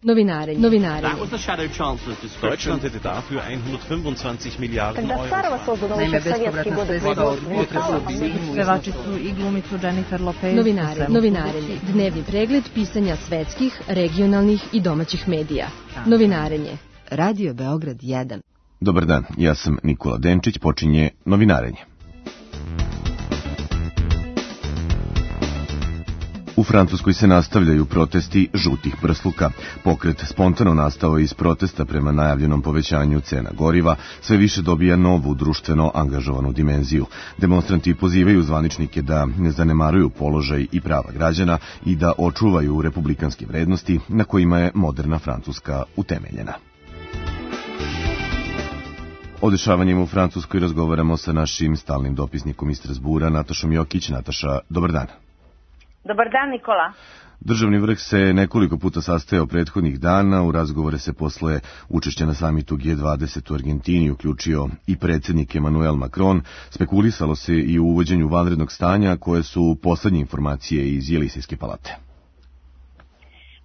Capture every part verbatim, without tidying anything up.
Novinarenje. Novinarenje. Deutschland hätte dafür hundertfünfundzwanzig Miliarden Euro. Naime, bespovratna sredstva od pevači su i glumicu Jennifer Lopez. Novinarenje. Novinarenje. Dnevni pregled pisanja svetskih, regionalnih i domaćih medija. Novinarenje. Radio Beograd jedan. Dobar dan, ja sam Nikola Denčić, počinje Novinarenje. U Francuskoj se nastavljaju protesti žutih prsluka. Pokret spontano nastao iz protesta prema najavljenom povećanju cena goriva, sve više dobija novu društveno angažovanu dimenziju. Demonstranti pozivaju zvaničnike da ne zanemaruju položaj i prava građana i da očuvaju republikanske vrednosti na kojima je moderna Francuska utemeljena. O dešavanjima u Francuskoj razgovaramo sa našim stalnim dopisnikom iz Strazbura, Natašom Jokić. Nataša, dobar dan. Dobar dan, Nikola. Državni vrh se nekoliko puta sastajao prethodnih dana, u razgovore se posle učešća na samitu G dvadeset u Argentini uključio i predsjednik Emmanuel Macron. Spekulisalo se i u uvođenju vanrednog stanja, koje su poslednje informacije iz Jelisejske palate.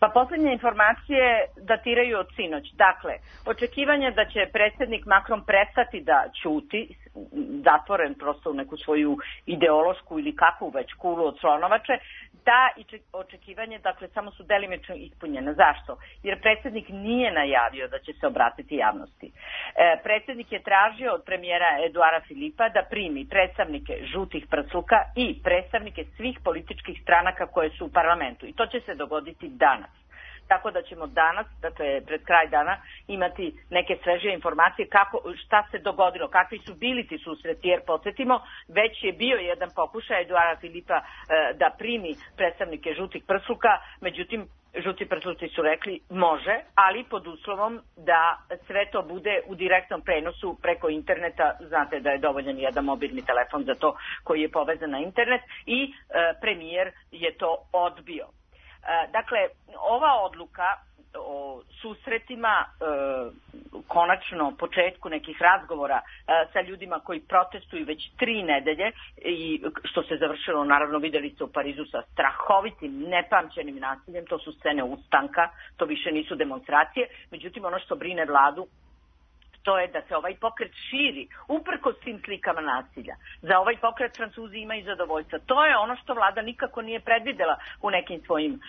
Pa poslednje informacije datiraju od sinoć. Dakle, očekivanje da će predsjednik Macron prestati da ćuti, zatvoren prosto u neku svoju ideološku ili kakvu već kulu od slonovače, ta očekivanje, dakle, samo su delimično ispunjene. Zašto? Jer predsjednik nije najavio da će se obratiti javnosti. E, predsjednik je tražio od premijera Eduara Filipa da primi predstavnike žutih prsluka i predstavnike svih političkih stranaka koje su u parlamentu. I to će se dogoditi danas. Tako da ćemo danas, dakle pred kraj dana, imati neke sveže informacije kako, šta se dogodilo, kakvi su bili ti susreti, jer podsjetimo, već je bio jedan pokušaj Eduara Filipa e, da primi predstavnike žutih prsluka, međutim, žuti prsluci su rekli može, ali pod uslovom da sve to bude u direktnom prenosu preko interneta. Znate da je dovoljan jedan mobilni telefon za to koji je povezan na internet i e, premijer je to odbio. Dakle, ova odluka o susretima, e, konačno početku nekih razgovora e, sa ljudima koji protestuju već tri nedelje i što se završilo, naravno videli ste u Parizu sa strahovitim, nepamćenim nasiljem, to su scene ustanka, to više nisu demonstracije, međutim ono što brine vladu, to je da se ovaj pokret širi, uprkos tim slikama nasilja. Za ovaj pokret Francuzi imaju zadovoljstva. To je ono što vlada nikako nije predvidela u nekim svojim, uh,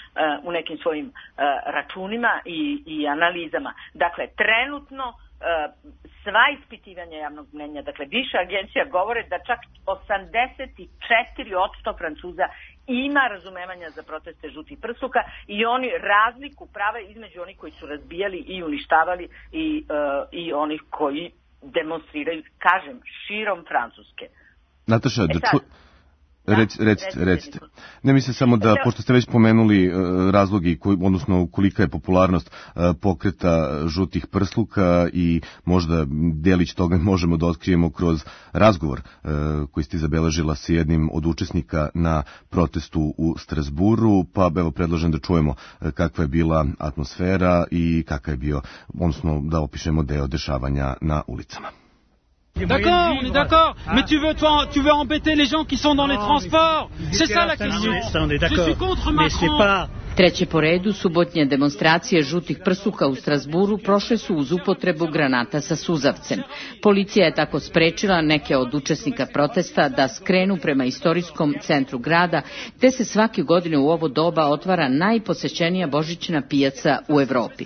u nekim svojim uh, računima i, i analizama. Dakle, trenutno uh, sva ispitivanja javnog mnenja, dakle više agencija govore da čak osamdeset četiri posto Francuza ima razumevanja za proteste žutih prsluka i oni razliku prave između onih koji su razbijali i uništavali i, uh, i onih koji demonstriraju, kažem, širom Francuske. Nataša, da ču... Rec, recite, recite. Ne mislim samo da, pošto ste već pomenuli uh, razlogi, koji, odnosno kolika je popularnost uh, pokreta žutih prsluka i možda delić toga možemo da otkrijemo kroz razgovor uh, koji ste zabeležila sa jednim od učesnika na protestu u Strazburu, pa evo predlažem da čujemo uh, kakva je bila atmosfera i kakav je bio, odnosno da opišemo deo dešavanja na ulicama. D'accord, on est d'accord. Mais tu veux, toi, tu veux embêter les gens qui sont dans les transports. C'est ça la question. Je suis contre Macron. Treće po redu subotnje demonstracije žutih prsluka u Strazburu prošle su uz upotrebu granata sa suzavcem. Policija je tako sprečila neke od učesnika protesta da skrenu prema istorijskom centru grada, te se svake godine u ovo doba otvara najposećenija božićna pijaca u Evropi.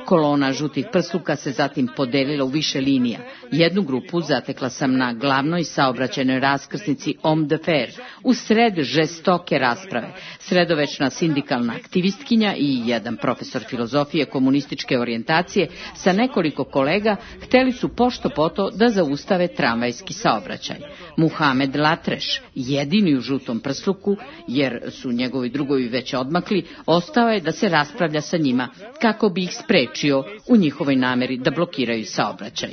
Kolona žutih prsluka se zatim podelila u više linija. Jednu grupu zatekla sam na glavnoj saobraćajnoj raskrsnici Homme de Fer, u sred žestoke rasprave. Sredovečna sindikalna aktivistkinja i jedan profesor filozofije komunističke orijentacije sa nekoliko kolega hteli su pošto poto da zaustave tramvajski saobraćaj. Muhamed Latreš, jedini u žutom prsluku, jer su njegovi drugovi već odmakli, ostao je da se raspravlja sa njima kako bi ih sprečio u njihovoj nameri da blokiraju saobraćaj.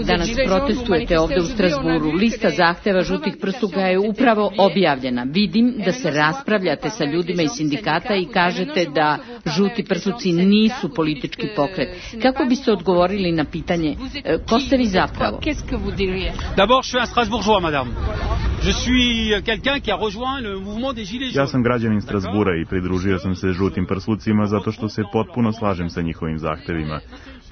Danas protestujete ovde u Strazburu. Lista zahteva žutih prsluka je upravo objavljena. Vidim da se raspravljate sa ljudima iz sindikata i kažete da žuti prsluci nisu politički pokret. Kako biste odgovorili na pitanje ko ste vi zapravo? D'abord, je suis un Strasbourgeois, madame. Ja sam građanin Strasbura i pridružio sam se žutim prslucima zato što se potpuno slažem sa njihovim zahtevima.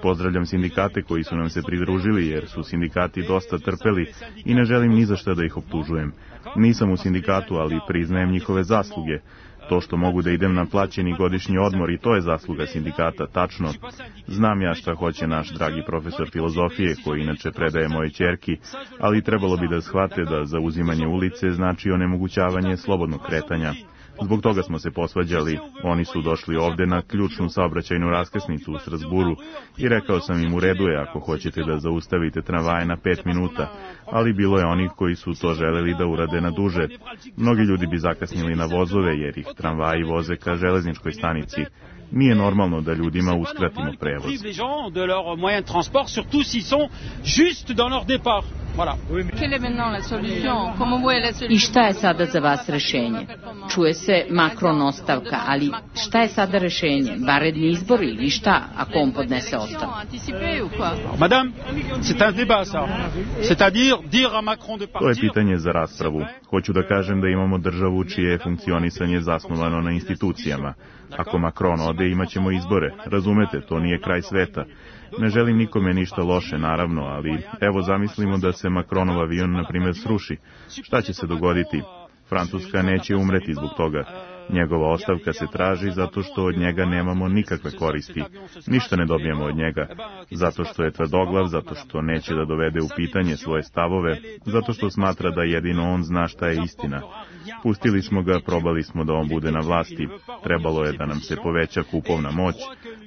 Pozdravljam sindikate koji su nam se pridružili jer su sindikati dosta trpeli i ne želim ni za šta da ih optužujem. Nisam u sindikatu, ali priznajem njihove zasluge. To što mogu da idem na plaćeni godišnji odmor i to je zasluga sindikata, tačno. Znam ja šta hoće naš dragi profesor filozofije koji inače predaje moje ćerki, ali trebalo bi da shvate da zauzimanje ulice znači onemogućavanje slobodnog kretanja. Zbog toga smo se posvađali. Oni su došli ovde na ključnu saobraćajnu raskrsnicu u Strasburu i rekao sam im u redu je ako hoćete da zaustavite tramvaje na pet minuta, ali bilo je onih koji su to želeli da urade na duže. Mnogi ljudi bi zakasnili na vozove jer ih tramvaji voze ka železničkoj stanici. Nije normalno da ljudima uskratimo prevoz. I šta je sada za vas rešenje? Čuje se Macron ostavka, ali šta je sada rešenje? Vanredni izbori ili šta ako on podnese ostavku? To je pitanje za raspravu. Hoću da kažem da imamo državu čije je funkcionisanje zasnovano na institucijama. Ako Macron ode, imat ćemo izbore. Razumete, to nije kraj sveta. Ne želim nikome ništa loše, naravno, ali evo zamislimo da se Macronov avion, na primjer, sruši. Šta će se dogoditi? Francuska neće umreti zbog toga. Njegova ostavka se traži zato što od njega nemamo nikakve koristi. Ništa ne dobijemo od njega. Zato što je tvrdoglav, zato što neće da dovede u pitanje svoje stavove, zato što smatra da jedino on zna šta je istina. Pustili smo ga, probali smo da on bude na vlasti. Trebalo je da nam se poveća kupovna moć,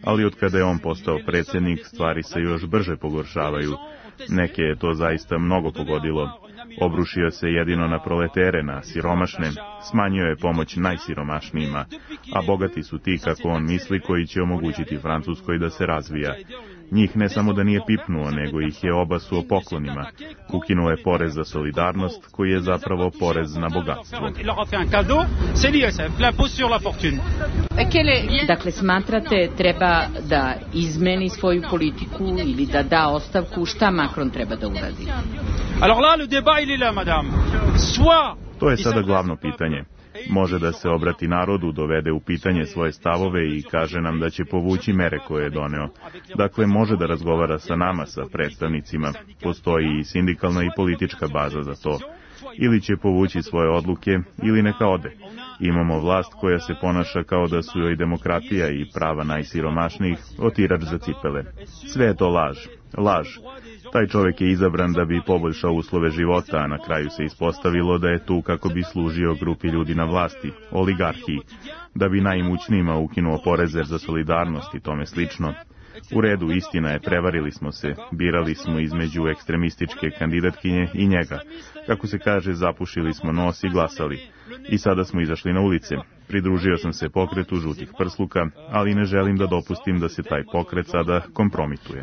ali od kada je on postao predsjednik, stvari se još brže pogoršavaju. Neke je to zaista mnogo pogodilo. Obrušio se jedino na proletere, na siromašne, smanjio je pomoć najsiromašnijima, a bogati su ti, kako on misli, koji će omogućiti Francuskoj da se razvija. Njih ne samo da nije pipnuo, nego ih je obasuo poklonima. Ukinuo je porez za solidarnost, koji je zapravo porez na bogatstvo. Dakle, smatrate treba da izmeni svoju politiku ili da da ostavku, šta Macron treba da uradi? To je sada glavno pitanje. Može da se obrati narodu, dovede u pitanje svoje stavove i kaže nam da će povući mere koje je doneo. Dakle, može da razgovara sa nama, sa predstavnicima. Postoji i sindikalna i politička baza za to. Ili će povući svoje odluke, ili neka ode. Imamo vlast koja se ponaša kao da su joj demokratija i prava najsiromašnijih otirač za cipele. Sve je to laž. Laž. Taj čovjek je izabran da bi poboljšao uslove života, a na kraju se ispostavilo da je tu kako bi služio grupi ljudi na vlasti, oligarhiji, da bi najimućnijima ukinuo poreze za solidarnost i tome slično. U redu, istina je, prevarili smo se, birali smo između ekstremističke kandidatkinje i njega. Kako se kaže, zapušili smo nos i glasali. I sada smo izašli na ulice. Pridružio sam se pokretu žutih prsluka, ali ne želim da dopustim da se taj pokret sada kompromituje.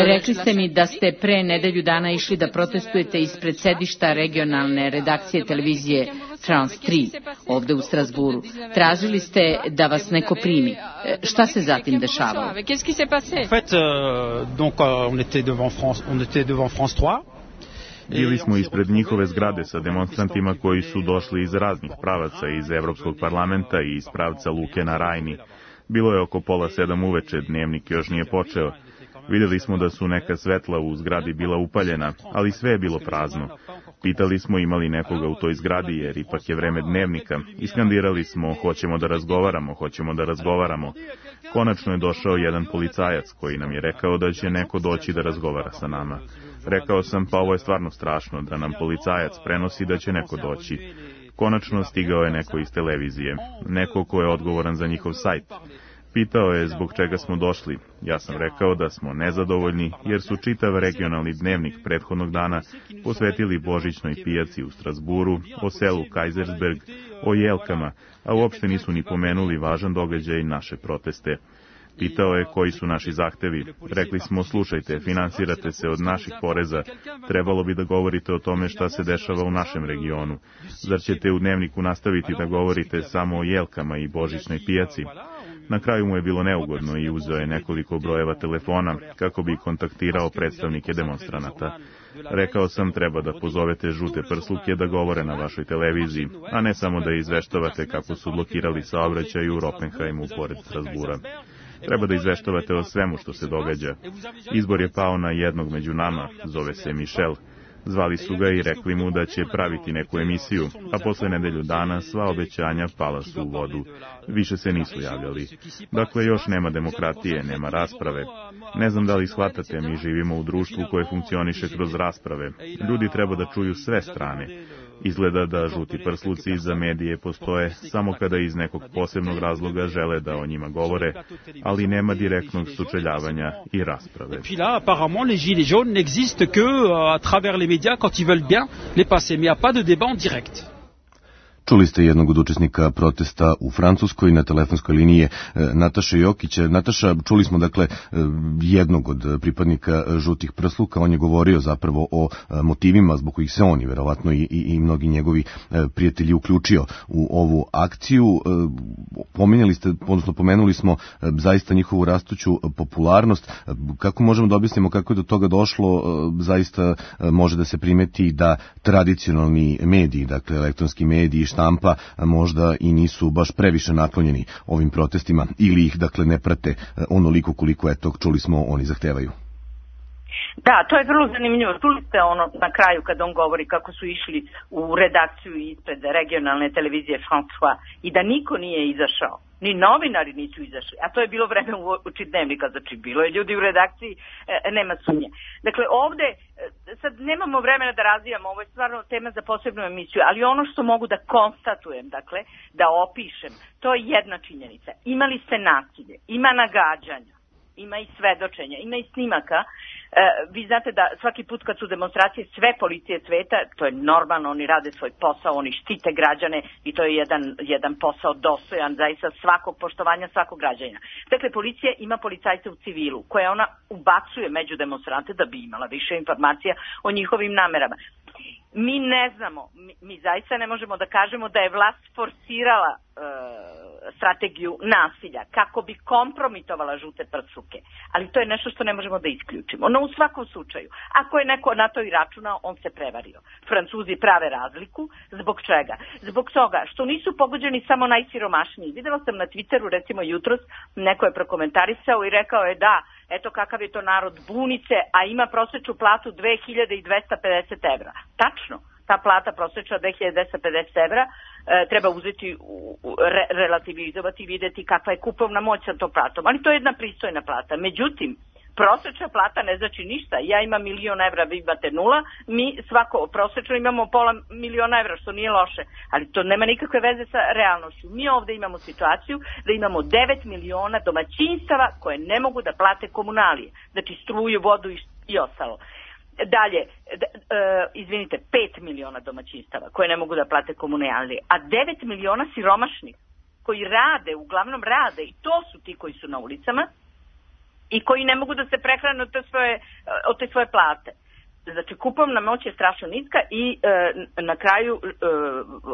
Rekli ste mi da ste pre nedelju dana išli da protestujete ispred sedišta regionalne redakcije televizije France tri, ovde u Strasburu. Tražili ste da vas neko primi. Šta se zatim dešavalo? Bili smo ispred njihove zgrade sa demonstrantima koji su došli iz raznih pravaca, iz Evropskog parlamenta i iz pravca Luke na Rajni. Bilo je oko pola sedam uveče, dnevnik još nije počeo. Vidjeli smo da su neka svetla u zgradi bila upaljena, ali sve je bilo prazno. Pitali smo imali nekoga u toj zgradi, jer ipak je vreme dnevnika. Iskandirali smo, hoćemo da razgovaramo, hoćemo da razgovaramo. Konačno je došao jedan policajac koji nam je rekao da će neko doći da razgovara sa nama. Rekao sam, pa ovo je stvarno strašno, da nam policajac prenosi da će neko doći. Konačno stigao je neko iz televizije, neko ko je odgovoran za njihov sajt. Pitao je zbog čega smo došli. Ja sam rekao da smo nezadovoljni jer su čitav regionalni dnevnik prethodnog dana posvetili božićnoj pijaci u Strasburu, o selu Kaisersberg, o jelkama, a uopšte nisu ni pomenuli važan događaj naše proteste. Pitao je koji su naši zahtevi. Rekli smo, slušajte, finansirate se od naših poreza, trebalo bi da govorite o tome šta se dešava u našem regionu. Zar ćete u dnevniku nastaviti da govorite samo o jelkama i božićnoj pijaci? Na kraju mu je bilo neugodno i uzeo je nekoliko brojeva telefona kako bi kontaktirao predstavnike demonstranata. Rekao sam, treba da pozovete žute prsluke da govore na vašoj televiziji, a ne samo da izveštavate kako su blokirali saobraćaj u Ropenheimu pored Strasbura. Treba da izveštavate o svemu što se događa. Izbor je pao na jednog među nama, zove se Michel. Zvali su ga i rekli mu da će praviti neku emisiju, a posle nedelju dana sva obećanja pala su u vodu. Više se nisu javljali. Dakle, još nema demokratije, nema rasprave. Ne znam da li shvatate, mi živimo u društvu koje funkcioniše kroz rasprave. Ljudi treba da čuju sve strane. Izgleda da žuti prsluci za medije postoje samo kada iz nekog posebnog razloga žele da o njima govore, ali nema direktnog sučeljavanja i rasprave. Et puis là, apparemment, les gilets jaunes n'existent que à travers les médias quand ils veulent bien les passer, mais il n'y a pas de débat en direct. Čuli ste jednog od učesnika protesta u Francuskoj na telefonskoj liniji je Nataša Jokića. Nataša, čuli smo dakle jednog od pripadnika žutih prsluka, on je govorio zapravo o motivima zbog kojih se on i verovatno i, i, i mnogi njegovi prijatelji uključio u ovu akciju. Pominjali ste, odnosno pomenuli smo zaista njihovu rastuću popularnost. Kako možemo da objasnimo kako je do toga došlo? Zaista može da se primeti da tradicionalni mediji, dakle elektronski mediji, štampa možda i nisu baš previše naklonjeni ovim protestima ili ih dakle ne prate onoliko koliko je to čuli smo oni zahtevaju. Da, to je vrlo zanimljivo. Čuli ste ono na kraju kad on govori kako su išli u redakciju ispred regionalne televizije François i da niko nije izašao. Ni novinari nisu izašli, a to je bilo vreme uoči dnevnika, znači bilo je ljudi u redakciji, e, nema sumnje. Dakle, ovde, e, sad nemamo vremena da razvijamo, ovo je stvarno tema za posebnu emisiju, ali ono što mogu da konstatujem, dakle, da opišem, to je jedna činjenica. Imali ste nasilje, ima nagađanja, ima i svedočenja, ima i snimaka. E, vi znate da svaki put kad su demonstracije sve policije sveta, to je normalno, oni rade svoj posao, oni štite građane i to je jedan, jedan posao dostojan zaista svakog poštovanja svakog građana. Dakle, policija ima policajce u civilu koje ona ubacuje među demonstrante da bi imala više informacija o njihovim namerama. Mi ne znamo, mi, mi zaista ne možemo da kažemo da je vlast forsirala e, strategiju nasilja kako bi kompromitovala žute prsluke, ali to je nešto što ne možemo da isključimo. No u svakom slučaju, ako je neko na to i računao, on se prevario. Francuzi prave razliku. Zbog čega? Zbog toga što nisu pogođeni samo najsiromašniji. Videla sam na Twitteru, recimo jutros, neko je prokomentarisao i rekao je da, eto kakav je to narod bunice, a ima prosječnu platu dve hiljade dvesta pedeset evra. Tačno, ta plata prosječna dve hiljade dvesta pedeset evra e, treba uzeti, u, u, re, relativizovati i vidjeti kakva je kupovna moć sa tom platom. Ali to je jedna pristojna plata. Međutim, prosječna plata ne znači ništa. Ja imam milion evra, vi imate nula, mi svako prosječno imamo pola miliona evra, što nije loše, ali to nema nikakve veze sa realnošću. Mi ovdje imamo situaciju da imamo devet miliona domaćinstava koje ne mogu da plate komunalije, znači struju, vodu i, i ostalo. Dalje, d, e, izvinite, pet miliona domaćinstava koje ne mogu da plate komunalije, a devet miliona siromašnih koji rade, uglavnom rade, i to su ti koji su na ulicama, i koji ne mogu da se prehrane od te svoje, od te svoje plate. Znači, kupovna moć je strašno niska i e, na kraju, e,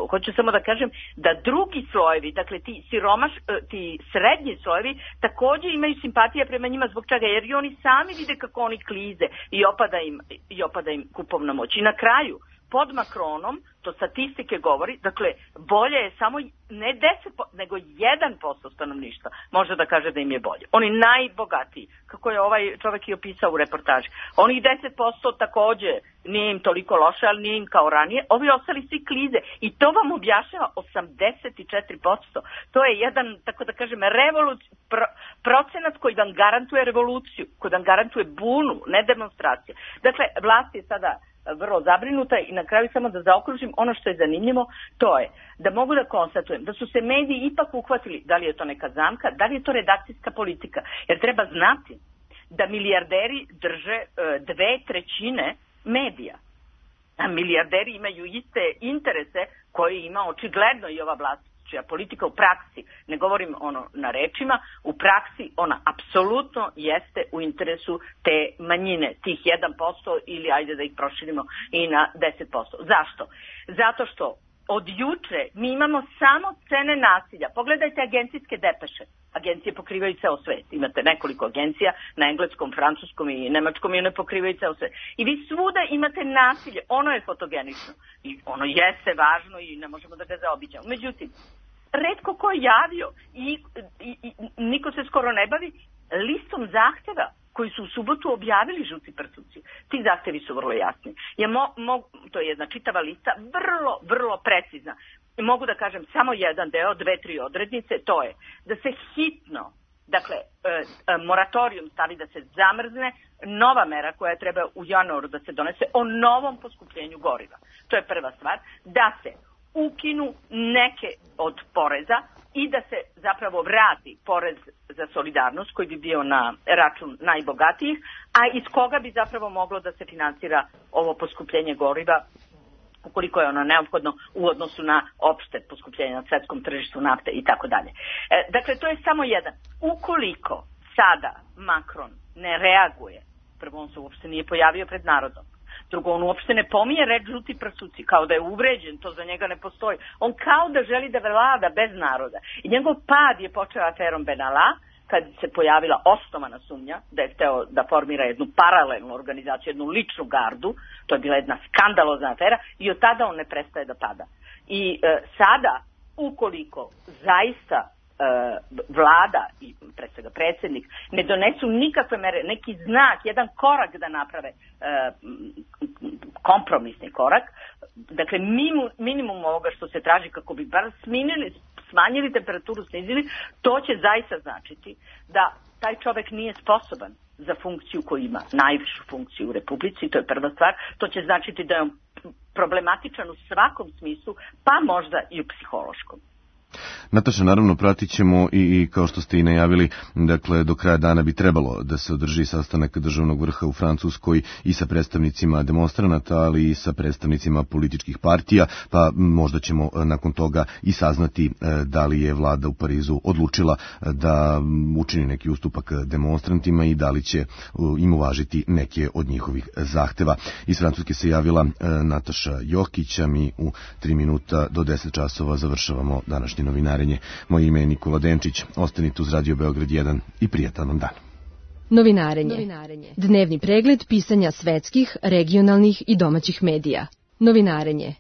hoću samo da kažem, da drugi slojevi, dakle ti siromaš, e, ti srednji slojevi, također imaju simpatija prema njima zbog čega, jer i oni sami vide kako oni klize i opada im, i opada im kupovna moć. I na kraju, pod Macronom, to statistike govori, dakle, bolje je samo ne deset posto, nego jedan posto stanovništva može da kaže da im je bolje. Oni najbogatiji, kako je ovaj čovjek i opisao u reportaži. Onih deset posto također nije im toliko loše, ali nije im kao ranije. Ovi ostali svi klize i to vam objašnjava osamdeset četiri posto. To je jedan, tako da kažem, revoluc, pro, procenat koji vam garantuje revoluciju, koji vam garantuje bunu, ne demonstracije. Dakle, vlast je sada vrlo zabrinuta i na kraju samo da zaokružim ono što je zanimljivo, to je da mogu da konstatujem da su se mediji ipak uhvatili, da li je to neka zamka, da li je to redakcijska politika, jer treba znati da milijarderi drže dve trećine medija. A milijarderi imaju iste interese koje ima očigledno i ova vlast, čija politika u praksi, ne govorim ono na rečima, u praksi ona apsolutno jeste u interesu te manjine, tih jedan posto ili ajde da ih proširimo i na deset posto. Zašto? Zato što od juče mi imamo samo cene nasilja. Pogledajte agencijske depeše. agencije pokrivaju ceo svet. Imate nekoliko agencija na engleskom, francuskom i nemačkom i one pokrivaju ceo svet. I vi svuda imate nasilje, ono je fotogenično i ono jeste važno i ne možemo da ga zaobiđamo. Međutim, retko ko je javio i, i, i niko se skoro ne bavi listom zahteva koji su u subotu objavili žuti prsluci. Ti zahtevi su vrlo jasni. Ja mo, mo, to je jedna čitava lista, vrlo, vrlo precizna. Mogu da kažem samo jedan deo, dve, tri odrednice, to je da se hitno, dakle, e, e, moratorijum stavi da se zamrzne, nova mera koja treba u januaru da se donese o novom poskupljenju goriva. To je prva stvar. Da se ukinu neke od poreza i da se zapravo vrati porez za solidarnost koji bi bio na račun najbogatijih, a iz koga bi zapravo moglo da se finansira ovo poskupljenje goriva ukoliko je ono neophodno u odnosu na opšte poskupljenje na svetskom tržištu nafte i tako dalje. Dakle, to je samo jedan. Ukoliko sada Macron ne reaguje, prvo on se uopšte nije pojavio pred narodom, drugo, on uopšte ne pominje reč žuti prsuci, kao da je uvređen, to za njega ne postoji. On kao da želi da vlada bez naroda. I njegov pad je počeo aferom Benalla, kad se pojavila osnovana sumnja da je hteo da formira jednu paralelnu organizaciju, jednu ličnu gardu, to je bila jedna skandalozna afera i od tada on ne prestaje da pada. I e, sada, ukoliko zaista e, vlada i pre svega predsjednik ne donesu nikakve mere, neki znak, jedan korak da naprave, e, kompromisni korak, dakle minimum, minimum ovoga što se traži kako bi bar sminili, smanjili temperaturu, snizili, to će zaista značiti da taj čovek nije sposoban za funkciju koju ima, najvišu funkciju u Republici, to je prva stvar. To će značiti da je on problematičan u svakom smislu, pa možda i u psihološkom. Nataša, naravno pratit ćemo i, i kao što ste i najavili, dakle do kraja dana bi trebalo da se održi sastanak državnog vrha u Francuskoj i sa predstavnicima demonstranata, ali i sa predstavnicima političkih partija, pa možda ćemo nakon toga i saznati da li je vlada u Parizu odlučila da učini neki ustupak demonstrantima i da li će im uvažiti neke od njihovih zahteva. Iz Francuske se javila Nataša Jokić, a mi u tri minuta do deset časova završavamo današnje novinarenje. Moje ime je Nikola Denčić. Ostanite uz Radio Beograd jedan i prijatan vam dan. Novinarenje. Novinarenje. Dnevni pregled pisanja svetskih, regionalnih i domaćih medija. Novinarenje.